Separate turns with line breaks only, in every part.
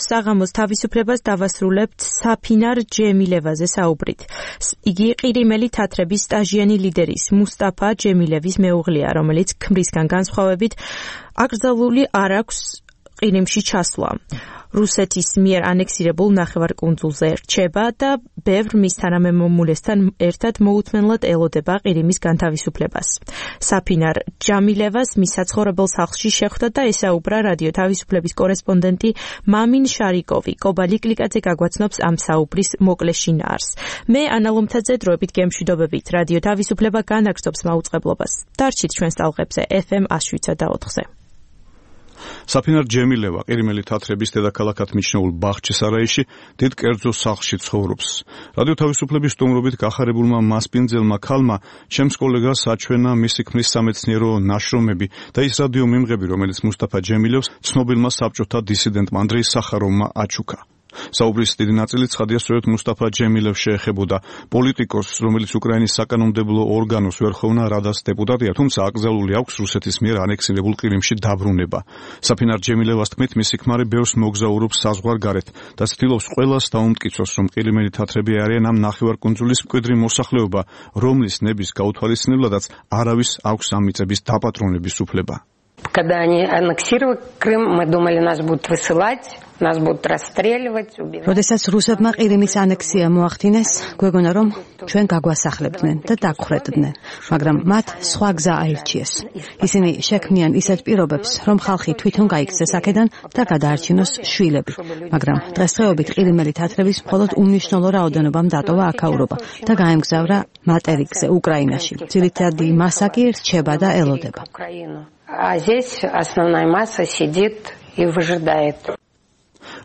საღამოს თავისუფლებას დავასრულებთ საფინარ ჯემილევაზე საუბრით. იგი ყირიმელი თათრების სტაჟიანი ლიდერის მუსტაფა ჯემილევის მეუღლეა, რომელიც ქმრისგან განსხვავებით აკრძალული არ აქვს ყირიმში ჩასვლა. რუსეთის მიერ ანექსირებულ ნახევარკუნძულზე რჩება და ბევრ მის თანამემამულესთან ერთად მოუთმენლად ელოდება ყირიმის განთავისუფლებას. საფინარ ჯამილევას მის საცხოვრებელ სახლში შეხვდა და ესაუბრა რადიო თავისუფლების კორესპონდენტი მამინ შარიკოვი. კობა ლიკლიკაძე გაგვაცნობს ამ საუბრის მოკლე შინაარს. მე ანა ლომთაძე დროებით გემშვიდობებით. რადიო თავისუფლება განაგრძობს მაუწყებლობას. დარჩით ჩვენს ტალღებზე FM 107.4-ზე.
საფინარ ჯემილევა ყირიმელი თათრების დედაქალაქად მიჩნეულ ბახჩისარაიში დიდ კერძო სახლში ცხოვრობს. რადიო თავისუფლების სტუმრობით გახარებულმა მასპინძელმა ქალმა ჩემს კოლეგას აჩვენა მისი ქმრის სამეცნიერო ნაშრომები და ის რადიო მიმღები, რომელიც მუსტაფა ჯემილევს ცნობილმა საბჭოთა დისიდენტმა ანდრეი სახაროვმა აჩუქა. საუბრის დიდი ნაწილი ცხადია სწორედ მუსტაფა ჯემილევს შეეხებოდა. პოლიტიკოსს, რომელიც უკრაინის საკანონმდებლო ორგანოს ვერხოვნა რადას დეპუტატია, თუმცა აკრძალული აქვს რუსეთის მიერ ანექსირებულ ყირიმში დაბრუნება. საფინარ ჯემილევას თქმით, მისი ქმარი ბევრს მოგზაურობს საზღვარგარეთ და ცდილობს ყველას დაუმტკიცოს, რომ ყირიმელი თათრები არიან ამ ნახევარკუნძულის მკვიდრი მოსახლეობა, რომლის ნების გაუთვალისწინებლადაც არავის აქვს ამ მიწების დაპატრონების უფლება.
Когда они аннексировали Крым, мы думали, нас будут высылать, нас будут расстреливать, убивать.
როდესაც რუსებმა ყირიმის ანექსია მოახდინეს, გვეგონა რომ ჩვენ გაგვასახლებდნენ და დაგხვრედნენ, მაგრამ მათ სხვა გზა აირჩიეს. ისინი შექმნიან ისეთ პირობებს, რომ ხალხი თვითონ გაიქცეს აქედან და გადაარჩინოს შვილები. მაგრამ დღესდღეობით ყირიმელი თათრების მხოლოდ უმნიშვნელო რაოდენობამ დატოვა აქაურობა და გაემგზავრა მატერიკზე, უკრაინაში. ძირითადი მასა კი რჩება და ელოდება.
А здесь основная масса сидит и выжидает.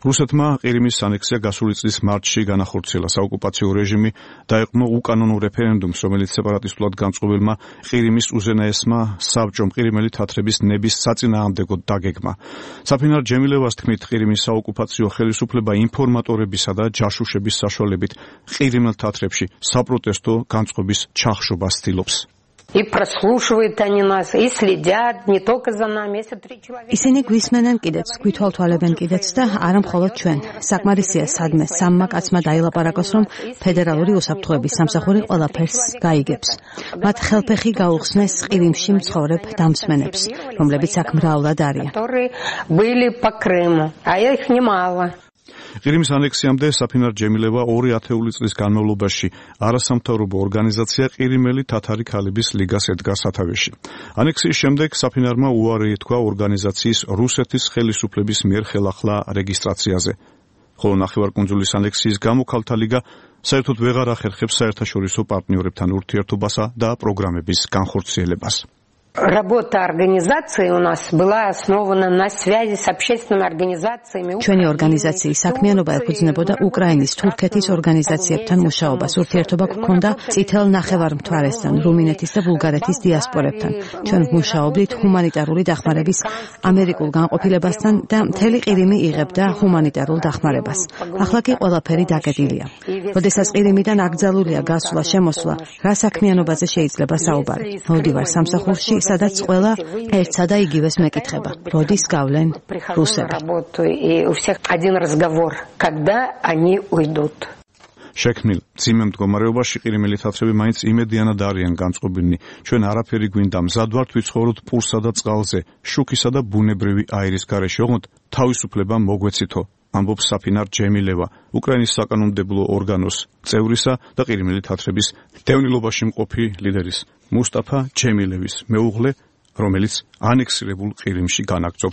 რუსეთმა ყირიმის ანექსია გასული წლის მარტში განახორციელა. საოკუპაციო რეჟიმი დაეყო უკანონო რეფერენდუმს, რომელიც სეპარატისტულად განწყობილმა ყირიმის უზენაესმა საბჭომ ყირიმელი თათრების ნების საწინააღმდეგოდ დაგეგმა. საფინარ ჯემილევას თქმით, ყირიმის საოკუპაციო ხელისუფლება ინფორმატორებისა და ჯაშუშების საშუალებით ყირიმელ თათრებში საპროტესტო განწყობის ჩახშობას ცდილობს.
И прослушивают они нас, и следят не только за нами, если 3 человека.
ისინი გვისმენენ კიდეც, გვითვალთვალებენ კიდეც და არა მხოლოდ ჩვენ. საკმარისია სადმე სამმა კაცმა დაილაპარაკოს, რომ ფედერალური უსაფრთხოების სამსახური ყველაფერს გაიგებს. მათ ხელფეხი გაუხსნეს ყირიმში მცხოვრებ დამსმენებს, რომლებიც აქ მრავლად არიან.
Были по Крыму, а их немало.
ყირიმის ანექსიამდე საფინარ ჯემილევა 2 ათეული წლის განმავლობაში არასამთავრობო ორგანიზაცია ყირიმელი თათარი ქალების ლიგას ედგა სათავეში. ანექსიის შემდეგ საფინარმა უარი ეთქვა ორგანიზაციის რუსეთის ხელისუფლების მიერ ხელახლა რეგისტრაციაზე. ხოლო ნახევარკუნძულის ანექსიის გამო ქალთა ლიგა საერთოდ ვეღარ ახერხებს საერთაშორისო პარტნიორებთან ურთიერთობასა და პროგრამების განხორციელებას.
Работа организации у нас была основана на связи с общественными организациями.
ჩვენი ორგანიზაციის საქმიანობა ეფუძნებოდა უკრაინის, თურქეთის ორგანიზაციებთან მუშაობას. ურთიერთობა გვქონდა წითელ ნახევარმთვარესთან, რუმინეთის და ბულგარეთის დიასპორებთან. ჩვენ მუშაობდით ჰუმანიტარული დახმარების ამერიკულ განყოფილებასთან და მთელი ყირიმი იღებდა ჰუმანიტარულ დახმარებას. ახლა კი ყველაფერი დაკეტილია. როდესაც ყირიმიდან აკრძალულია გასვლა-შემოსვლა, რა საქმიანობაზე შეიძლება საუბარი? მოვდივარ სამსახურში, სადაც ყველა ერთსა და იგივეს მეკითხება. როდის გავლენ რუსები?
შექმნილ ძიმე მდგომარეობაში ყირიმელი თათრები მაინც იმედიანად არიან განწყობილნი. ჩვენ არაფერი გვინდა, მზად ვართ ვიცხოვროთ პურსა და წყალზე, შუქისა და ბუნებრივი აირის გარეშე. ოღონდ თავისუფლება მოგვეცითო, ამბობს საფინარ ჯემილევა, უკრაინის საკანონმდებლო ორგანოს წევრისა და ყირიმელი თათრების დევნილობაში მყოფი ლიდერის მუსტაფა ჯემილევის მეუღლე, რომელიც ანექსირებულ ყირიმში განაგრძობს